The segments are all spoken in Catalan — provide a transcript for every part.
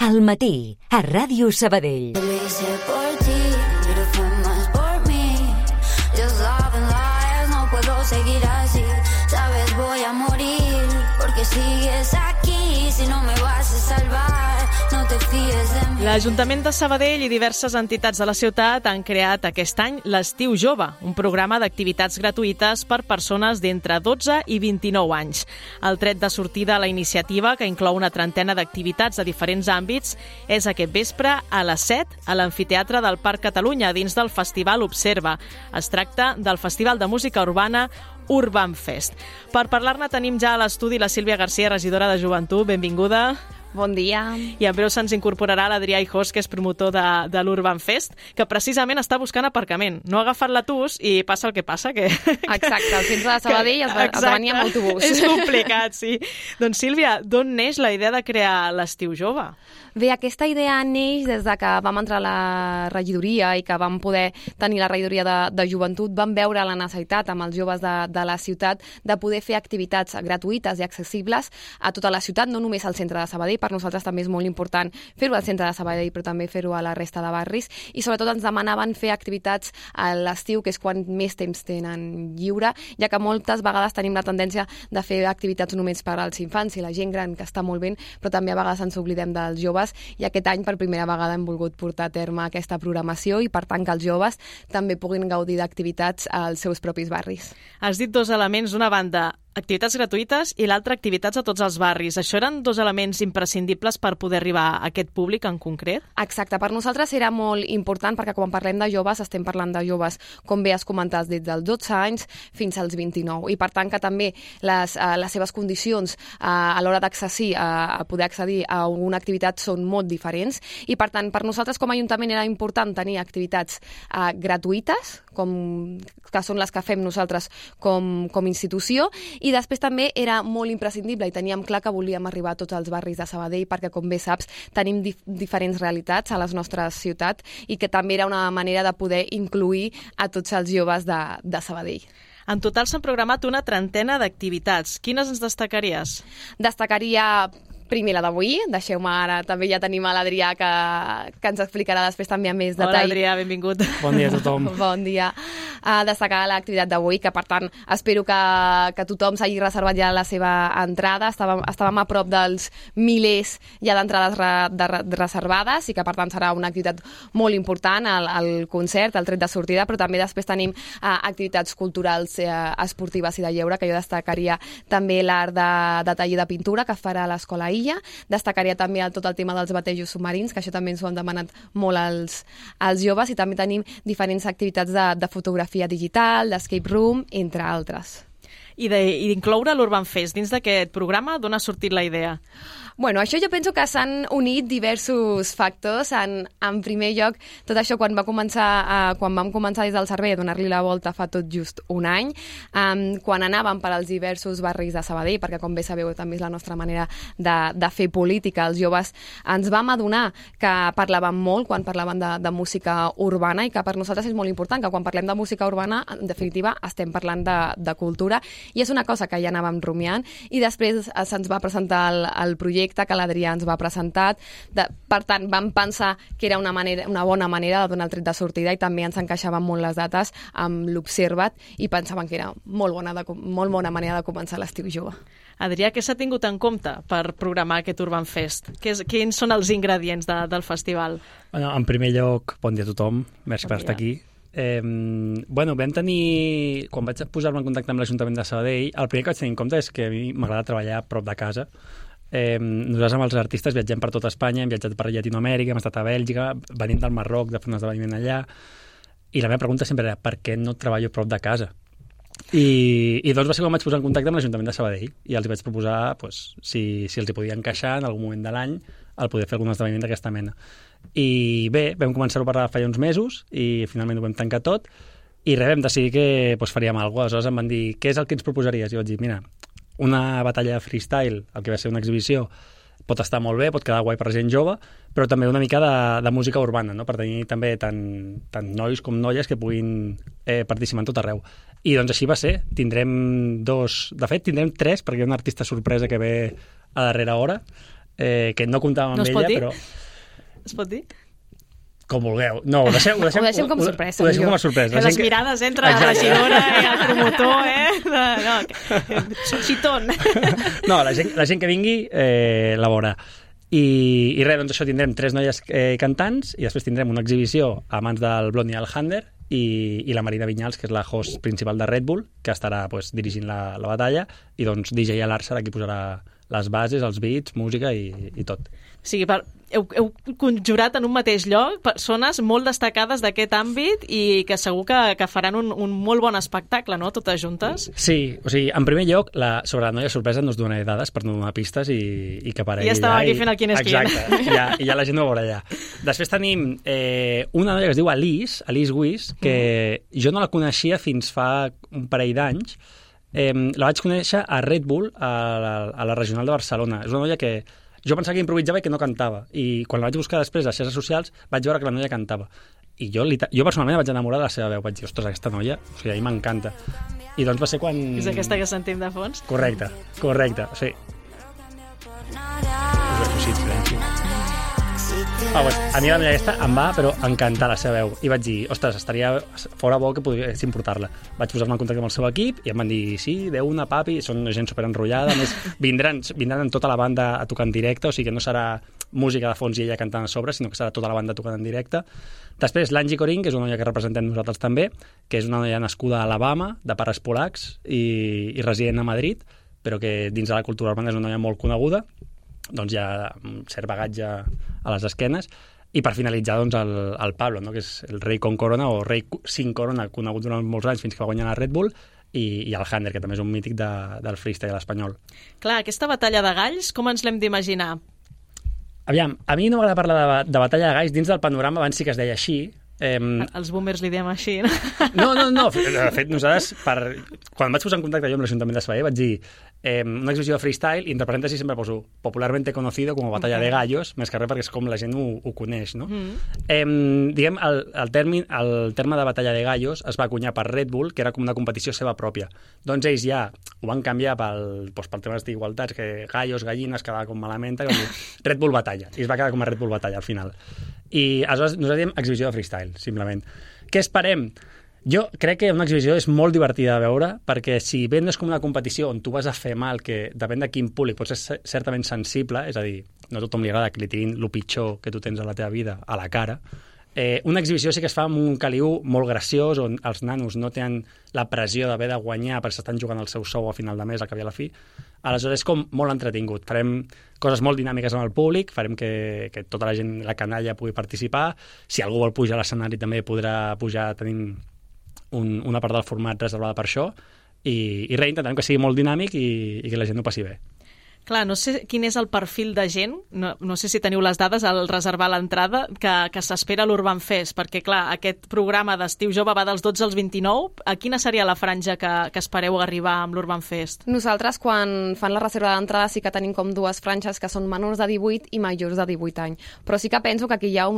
Al matí, a Ràdio Sabadell. Lo hice por ti, pero fue más por mí. Just love and lies, no puedo seguir así. Sabes, voy a morir, porque sigues aquí. Si no me vas a salvar, no te fíes de mi... L'Ajuntament de Sabadell i diverses entitats de la ciutat han creat aquest any l'Estiu Jove, un programa d'activitats gratuïtes per persones d'entre 12 i 29 anys. El tret de sortida a la iniciativa, que inclou una trentena d'activitats de diferents àmbits, és aquest vespre a les 7 a l'Amfiteatre del Parc Catalunya, dins del Festival Observa. Es tracta del Festival de Música Urbana Urban Fest. Per parlar-ne tenim ja a l'estudi la Sílvia García, regidora de Joventut. Benvinguda. Bon dia. I en breu se'ns incorporarà l'Adrià Hijós, que és promotor de l'Urban Fest, que precisament està buscant aparcament. No ha agafat l'autobús i passa el que passa. Exacte, al centre de Sabadell has de venir amb autobús. És complicat, sí. Doncs Sílvia, d'on neix la idea de crear l'Estiu Jove? Bé, aquesta idea neix des de que vam entrar a la regidoria i que vam poder tenir la regidoria de joventut. Vam veure la necessitat amb els joves de la ciutat de poder fer activitats gratuïtes i accessibles a tota la ciutat, no només al centre de Sabadell. Per nosaltres també és molt important fer-ho al centre de Sabadell, però també fer-ho a la resta de barris. I sobretot ens demanaven fer activitats a l'estiu, que és quan més temps tenen lliure, ja que moltes vegades tenim la tendència de fer activitats només per als infants i la gent gran, que està molt bé, però també a vegades ens oblidem dels joves. I aquest any per primera vegada hem volgut portar a terme aquesta programació i per tant que els joves també puguin gaudir d'activitats als seus propis barris. Has dit dos elements, d'una banda activitats gratuïtes i l'altra activitats a tots els barris. Això eren dos elements imprescindibles per poder arribar a aquest públic en concret? Exacte, per nosaltres era molt important perquè quan parlem de joves estem parlant de joves, com bé has comentat, des dels 12 anys fins als 29 i per tant que també les seves condicions a l'hora a poder accedir a una activitat són molt diferents i per tant per nosaltres com a Ajuntament era important tenir activitats gratuïtes que són les que fem nosaltres com institució i després també era molt imprescindible i teníem clar que volíem arribar a tots els barris de Sabadell perquè, com bé saps, tenim diferents realitats a les nostres ciutats i que també era una manera de poder incluir a tots els joves de Sabadell. En total s'han programat una trentena d'activitats. Quines ens destacaries? Destacaria primer la d'avui, deixeu-me ara, també ja tenim a l'Adrià que ens explicarà després també amb més detall. Hola Adrià, benvingut. Bon dia a tothom. Bon dia. Destacar l'activitat d'avui, que per tant espero que tothom s'hagi reservat ja la seva entrada. Estàvem a prop dels milers ja d'entrades reservades i que per tant serà una activitat molt important, el concert, el tret de sortida, però també després tenim activitats culturals, esportives i de lleure, que jo destacaria també l'art de taller de pintura que farà l'Escola Illa. Destacaria també tot el tema dels batejos submarins, que això també ens ho han demanat molt als joves, i també tenim diferents activitats de fotografia digital, d'escape room, entre altres. I d'incloure l'Urban Fest dins d'aquest programa, d'on ha sortit la idea? Bueno, això jo penso que s'han unit diversos factors. En primer lloc, tot això quan vam començar des del servei a donar-li la volta fa tot just un any, quan anàvem per als diversos barris de Sabadell, perquè com bé sabeu també és la nostra manera de fer política, els joves ens vam adonar que parlàvem molt quan parlàvem de música urbana i que per nosaltres és molt important que quan parlem de música urbana, en definitiva, estem parlant de cultura i és una cosa que ja anàvem rumiant i després se'ns va presentar el projecte que l'Adrià ens va presentar. Per tant, vam pensar que era una bona manera de donar el tret de sortida i també ens encaixaven molt les dates amb l'Observat i pensaven que era molt bona manera de començar l'Estiu Jove. Adrià, què s'ha tingut en compte per programar aquest Urban Fest? Quins són els ingredients del festival? Bueno, en primer lloc, bon dia a tothom, merci per estar aquí. Vam tenir, quan vaig posar-me en contacte amb l'Ajuntament de Sabadell, el primer que vaig tenir en compte és que a mi m'agrada treballar a prop de casa. Nosaltres amb els artistes viatgem per tot Espanya, hem viatjat per Llatinoamèrica, hem estat a Bèlgica, venim del Marroc de fer un esdeveniment allà, i la meva pregunta sempre era per què no treballo a prop de casa? I doncs va ser quan vaig posar en contacte amb l'Ajuntament de Sabadell i els vaig proposar si els hi podia encaixar en algun moment de l'any el poder fer algun esdeveniment d'aquesta mena. I bé, vam començar-ho a parlar fa uns mesos i finalment ho vam tancar tot i vam decidir que faríem alguna cosa. Aleshores em van dir, què és el que ens proposaries? I vaig dir, mira, una batalla de freestyle, el que va ser una exhibició, pot estar molt bé, pot quedar guai per gent jove, però també una mica de música urbana, no? Per tenir també tant nois com noies que puguin participar en tot arreu. I doncs així va ser. Tindrem 2... De fet, tindrem 3, perquè hi ha un artista sorpresa que ve a darrera hora. que no comptàvem amb ella, però... Es pot dir? Com vulgueu. No, ho deixem com a sorpresa. Ho deixem com a sorpresa. Les mirades entre la regidora i el promotor, xitón. No, la gent que vingui la veurà. I res, doncs això, tindrem 3 noies cantants i després tindrem una exhibició a mans del Blondie Alhander i la Marina Vinyals, que és la host principal de Red Bull, que estarà dirigint la batalla, i doncs DJ Alar serà qui posarà les bases, els beats, música i tot. O sigui, heu conjurat en un mateix lloc persones molt destacades d'aquest àmbit i que segur que faran un molt bon espectacle, no?, totes juntes. Sí, o sigui, en primer lloc, sobre la noia sorpresa no us donaré dades per no donar pistes i que aparegui. Ja estava aquí fent el quin és quin. Exacte, i ja la gent ho veurà allà. Després tenim una noia que es diu Alice Wiss, que jo no la coneixia fins fa un parell d'anys. La vaig conèixer a Red Bull, a la Regional de Barcelona. És una noia que jo pensava que improvisava i que no cantava, i quan la vaig buscar després a les xarxes socials vaig veure que la noia cantava, i jo personalment vaig enamorar de la seva veu. Vaig dir, ostres, aquesta noia, o sigui, a mi m'encanta. I doncs va ser quan... És aquesta que sentim de fons? Correcte, sí. A mi la noia aquesta em va, però encantar la seva veu, i vaig dir, ostres, estaria fora bo que poguéssim portar-la. Vaig posar-me en contacte amb el seu equip i em van dir, sí, una papi, són gent superenrotllada, a més vindran en tota la banda a tocar en directe, o sigui que no serà música de fons i ella cantant a sobre, sinó que serà tota la banda tocant en directe. Després l'Angie Corin, que és una noia que representem nosaltres també, que és una noia nascuda a Alabama, de pares polacs i resident a Madrid, però que dins de la cultura urbana és una noia molt coneguda, doncs hi ha un cert bagatge a les esquenes. I per finalitzar, doncs, el Pablo, no?, que és el rei con corona, o rei sin corona, conegut durant molts anys fins que va guanyar la Red Bull, i el Hander, que també és un mític del freestyle espanyol. Clar, aquesta batalla de galls, com ens l'hem d'imaginar? Aviam, a mi no m'agrada parlar de batalla de galls dins del panorama, abans sí que es deia així. Els boomers li diem així, no? No. De fet, nosaltres, quan vaig posar en contacte jo amb l'Ajuntament de Sabadell, vaig dir una exhibició de freestyle, i entre parèntesis sempre poso popularmente conocido como batalla de gallos, més que res perquè és com la gent ho coneix, no? Diguem, el terme de batalla de gallos es va acunyar per Red Bull, que era com una competició seva pròpia. Doncs ells ja ho van canviar pel tema d'igualtats, que gallos, gallines, quedava com malament, Red Bull batalla, i es va quedar com a Red Bull batalla al final. I aleshores nosaltres diem exhibició de freestyle, simplement. Què esperem? Jo crec que una exhibició és molt divertida de veure, perquè si bé no és com una competició on tu vas a fer mal, que depèn de quin públic pots ser certament sensible, és a dir, no a tothom li agrada que li tirin el pitjor que tu tens a la teva vida a la cara, una exhibició sí que es fa amb un caliu molt graciós, on els nanos no tenen la pressió d'haver de guanyar perquè s'estan jugant el seu sou a final de mes, al cap i a la fi. Aleshores és com molt entretingut. Farem coses molt dinàmiques amb el públic, farem que tota la gent, la canalla, pugui participar. Si algú vol pujar a l'escenari també podrà pujar, tenim una part del format reservada per això, i res, intentem que sigui molt dinàmic i que la gent ho passi bé. Clar, no sé quin és el perfil de gent, no sé si teniu les dades al reservar l'entrada, que s'espera a l'Urban Fest, perquè clar, aquest programa d'Estiu Jove va dels 12 als 29, a quina seria la franja que espereu arribar amb l'Urban Fest? Nosaltres, quan fan la reserva d'entrada, sí que tenim com dues franges que són menors de 18 i majors de 18 anys, però sí que penso que aquí hi ha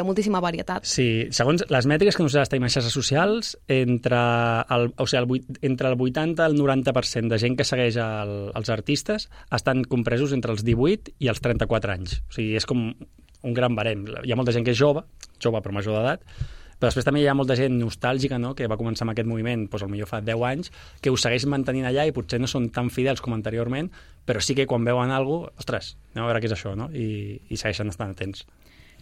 moltíssima varietat. Sí, segons les mètriques que nosaltres tenim a xarxes socials, entre el 80 i el 90% de gent que segueix els artistes estan compresos entre els 18 i els 34 anys. O sigui, és com un gran barem. Hi ha molta gent que és jove però major d'edat, però després també hi ha molta gent nostàlgica, no?, que va començar amb aquest moviment, doncs potser fa 10 anys, que ho segueix mantenint allà i potser no són tan fidels com anteriorment, però sí que quan veuen alguna cosa, ostres, anem a veure què és això, no?, i segueixen estant atents.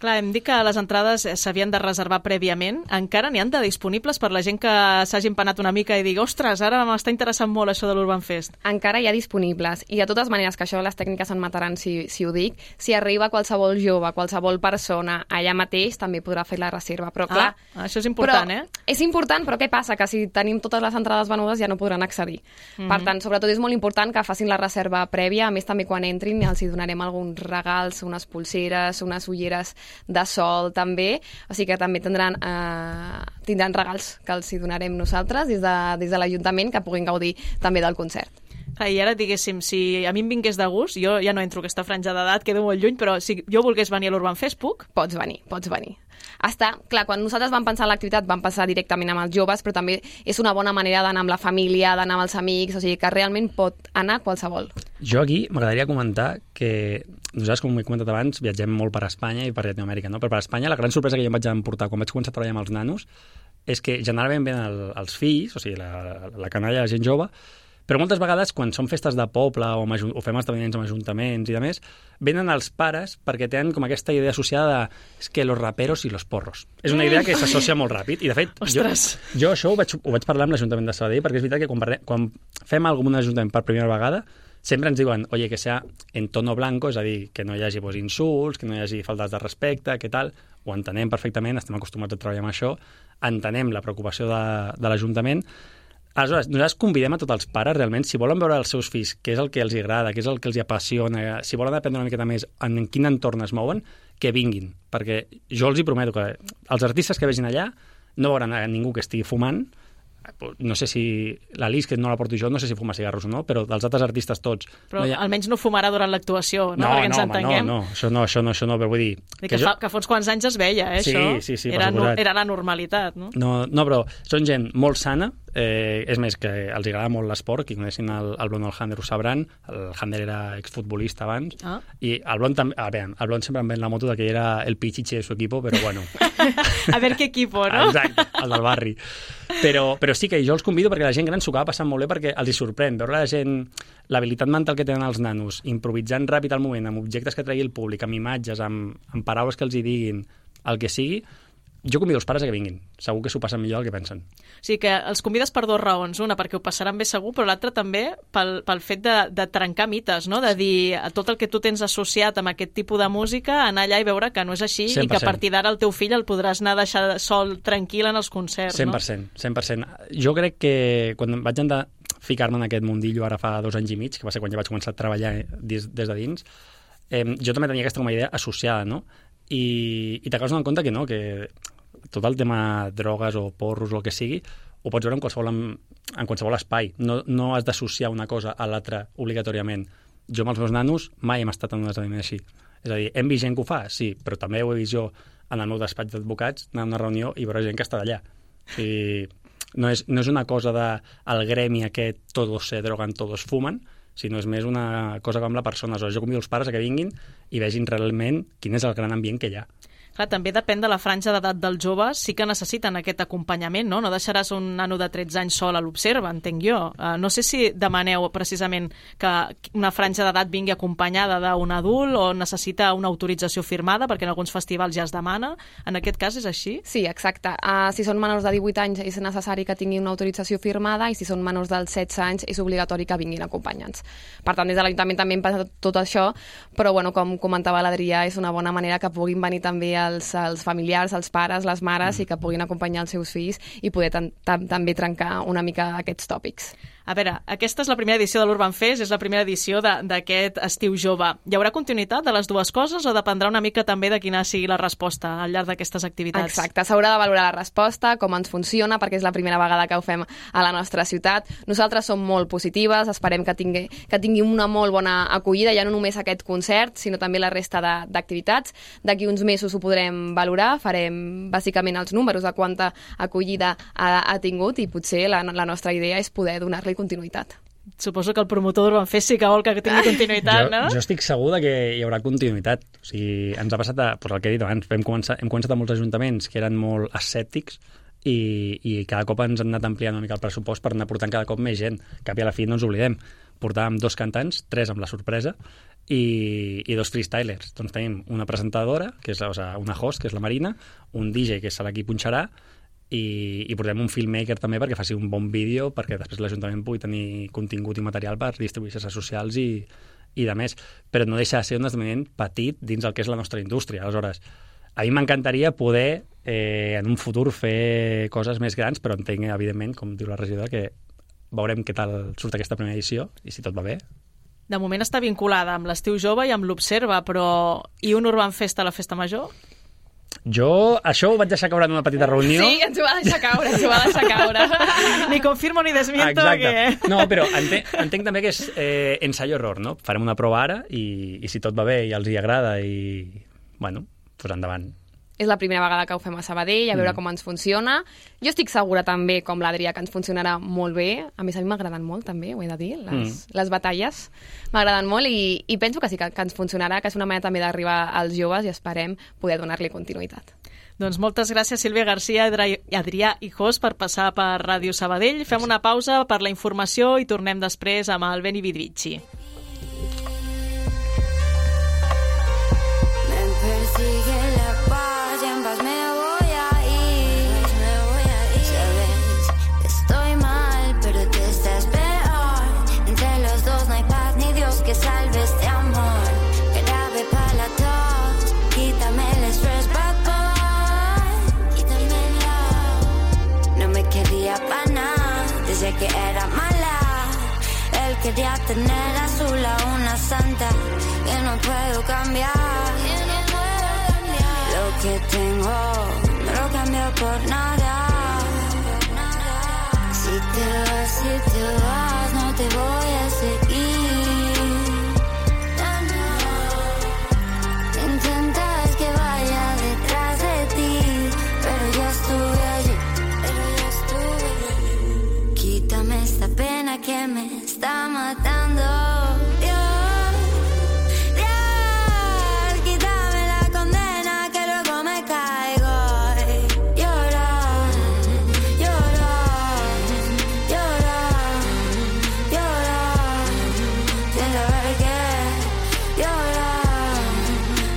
Clar, hem dit que les entrades s'havien de reservar prèviament. Encara n'hi han de disponibles per la gent que s'hagi empanat una mica i digui, ostres, ara m'està interessant molt això de l'Urban Fest. Encara hi ha disponibles. I de totes maneres, que això les tècniques em mataran si ho dic, si arriba qualsevol jove, qualsevol persona allà mateix, també podrà fer la reserva. Però clar, això és important, És important, però què passa? Que si tenim totes les entrades venudes ja no podran accedir. Per tant, sobretot és molt important que facin la reserva prèvia. A més, també quan entrin els hi donarem alguns regals, unes pulseres, unes ulleres de sol també, o sigui que també tindran regals que els hi donarem nosaltres des de l'Ajuntament, que puguin gaudir també del concert. I ara, diguéssim, si a mi em vingués de gust, jo ja no entro a aquesta franja d'edat, quedo molt lluny, però si jo volgués venir a l'Urban Fest, puc? Pots venir. Clar, quan nosaltres vam pensar en l'activitat vam pensar directament amb els joves, però també és una bona manera d'anar amb la família, d'anar amb els amics, o sigui que realment pot anar qualsevol. Jo aquí m'agradaria comentar que nosaltres, com he comentat abans, viatgem molt per Espanya i per Llatinoamèrica, no? Però per Espanya la gran sorpresa que jo em vaig emportar quan vaig començar a treballar amb els nanos és que generalment venen els fills, o sigui, la canalla, la gent jove, però moltes vegades, quan són festes de poble o fem esdeveniments amb ajuntaments i demés, venen els pares perquè tenen com aquesta idea associada de és que los raperos i los porros. És una idea que s'associa molt ràpid. I, de fet, jo això ho vaig parlar amb l'Ajuntament de Sabadell, perquè és veritat que quan fem alguna cosa amb un ajuntament per primera vegada, sempre ens diuen, oye, que sea en tono blanco, és a dir, que no hi hagi insults, que no hi hagi faltes de respecte, que tal. Ho entenem perfectament, estem acostumats a treballar amb això, entenem la preocupació de l'Ajuntament. Aleshores, nosaltres convidem a tots els pares, realment, si volen veure els seus fills, què és el que els agrada, què és el que els apassiona, si volen aprendre una miqueta més en quin entorn es mouen, que vinguin. Perquè jo els hi prometo que els artistes que vegin allà no veuran a ningú que estigui fumant. No sé si la Lis, que no la porto jo, no sé si fuma cigarros o no, però dels altres artistes tots... Però almenys no fumarà durant l'actuació, no? Perquè ens entenguem. No, això no, però vull dir... Que fa uns quants anys es veia, això. Sí, era la normalitat, no? No, però són gent molt sana, és més, que els agrada molt l'esport, qui coneixin el Blon o el Hander ho sabran, el Hander era exfutbolista abans, i el Blon també... el Blon sempre em ven la moto de que era el pichiche de su equipo, però bueno... A ver qué equipo, no? Exacte, el del barri. Però sí que jo els convido perquè la gent gran s'ho acaba passant molt bé perquè els hi sorprèn veure la gent, l'habilitat mental que tenen els nanos, improvisant ràpid al moment, amb objectes que tregui el públic, amb imatges, amb paraules que els hi diguin, el que sigui. Jo convido els pares a que vinguin. Segur que s'ho passen millor del que pensen. O sigui que els convides per dues raons. Una, perquè ho passaran bé segur, però l'altra també pel fet de trencar mites, no? De dir a tot el que tu tens associat amb aquest tipus de música, anar allà i veure que no és així 100%. I que a partir d'ara el teu fill el podràs anar a deixar sol tranquil en els concerts, 100%, no? 100%. Jo crec que quan vaig anar a ficar-me en aquest mundillo ara fa 2 anys i mig, que va ser quan ja vaig començar a treballar des de dins, jo també tenia aquesta com a idea associada, no? I t'acabes donant compte que no, que tot el tema drogues o porros o el que sigui ho pots veure en qualsevol espai. No has d'associar una cosa a l'altra obligatòriament. Jo amb els meus nanos mai hem estat en un esdeveniment així. És a dir, hem vist gent que ho fa, sí, però també ho he vist jo en el meu despatx d'advocats, anar a una reunió i veure gent que està d'allà. O sigui, no és una cosa del gremi aquest todos se drogan, todos fuman, sinó és més una cosa com la persona. Aleshores, jo convido els pares a que vinguin i vegin realment quin és el gran ambient que hi ha. Clar, també depèn de la franja d'edat dels joves, sí que necessiten aquest acompanyament, no? No deixaràs un nano de 13 anys sol a l'Observa, entenc jo. No sé si demaneu precisament que una franja d'edat vingui acompanyada d'un adult o necessita una autorització firmada, perquè en alguns festivals ja es demana. En aquest cas és així? Sí, exacte. Si són menors de 18 anys és necessari que tinguin una autorització firmada i si són menors dels 16 anys és obligatori que vinguin acompanyats. Per tant, des de l'Ajuntament també hem pensat tot això, però bueno, com comentava l'Adrià, és una bona manera que puguin venir també els familiars, els pares, les mares i que puguin acompanyar els seus fills i poder també trencar una mica aquests tòpics. A veure, aquesta és la primera edició de l'Urban Fest, és la primera edició d'aquest estiu jove. Hi haurà continuïtat de les dues coses o dependrà una mica també de quina sigui la resposta al llarg d'aquestes activitats? Exacte, s'haurà de valorar la resposta, com ens funciona, perquè és la primera vegada que ho fem a la nostra ciutat. Nosaltres som molt positives, esperem que tingui una molt bona acollida, ja no només aquest concert, sinó també la resta d'activitats. D'aquí uns mesos ho podrem valorar, farem bàsicament els números de quanta acollida ha tingut i potser la nostra idea és poder donar-li continuïtat. Suposo que el promotor d'Urban Fest sí que vol que tingui continuïtat, no? Jo estic segur que hi haurà continuïtat. O sigui, ens ha passat el que he dit abans, hem començat amb molts ajuntaments que eren molt escèptics i cada cop ens han anat ampliant una mica el pressupost per anar portant cada cop més gent. Cap i a la fi no ens oblidem. Portàvem 2 cantants, 3 amb la sorpresa i 2 freestylers. Doncs tenim una presentadora, que és una host, que és la Marina, un DJ, que serà qui punxarà, i portem un filmmaker també perquè faci un bon vídeo perquè després l'Ajuntament pugui tenir contingut i material per distribuir xarxes socials i de més. Però no deixa de ser un esdeveniment petit dins el que és la nostra indústria. Aleshores, a mi m'encantaria poder en un futur fer coses més grans, però entenc, evidentment, com diu la regidora, que veurem què tal surt aquesta primera edició i si tot va bé. De moment està vinculada amb l'Estiu Jove i amb l'Observa, però i un Urban Fest a la Festa Major? Jo això ho vaig deixar caure en una petita reunió. Sí, ens ho va deixar caure. Ni confirmo ni desmiento. Exacte. Que... No, però entenc també que és ensayo-error, no? Farem una prova ara i si tot va bé i els hi agrada i, bueno, doncs endavant. És la primera vegada que ho fem a Sabadell, a veure com ens funciona. Jo estic segura també, com l'Adrià, que ens funcionarà molt bé. A més, a mi m'agraden molt, també, ho he de dir. Les batalles m'agraden molt i penso que sí, que ens funcionarà, que és una manera també d'arribar als joves i esperem poder donar-li continuïtat. Doncs moltes gràcies, Sílvia García i Adrià Hijós, per passar per Ràdio Sabadell. Fem una pausa per la informació i tornem després amb el Beni Vidvici. Que salve este amor, grave para todos, quítame el estrés, bad boy, quítamelo. No me quería para nada, desde que era mala. Él quería tener a su lado una santa que no puedo cambiar. Lo que tengo no lo cambio por nada. Si te vas, no te voy a seguir. Esta pena que me está matando. Dios, Dios, quítame la condena que luego me caigo. Llorar, llorar, llorar, llorar, sin saber qué. Llorar,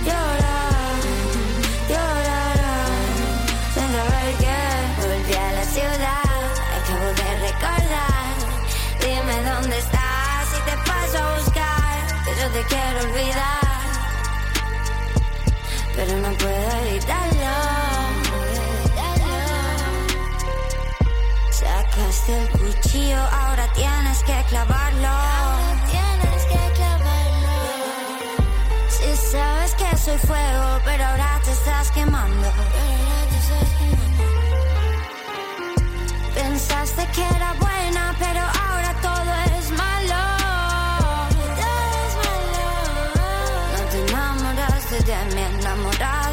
llorar, llorar, sin saber qué. Volví a la ciudad, acabo de recordar. Dime dónde estás y te paso a buscar, que yo te quiero olvidar, pero no puedo evitarlo. Sacaste el cuchillo, ahora tienes que clavarlo. Si sabes que soy fuego, pero ahora te estás quemando. Pensaste que era buena, pero ahora todo es malo. Todo es malo. No te enamoraste de mi enamorada.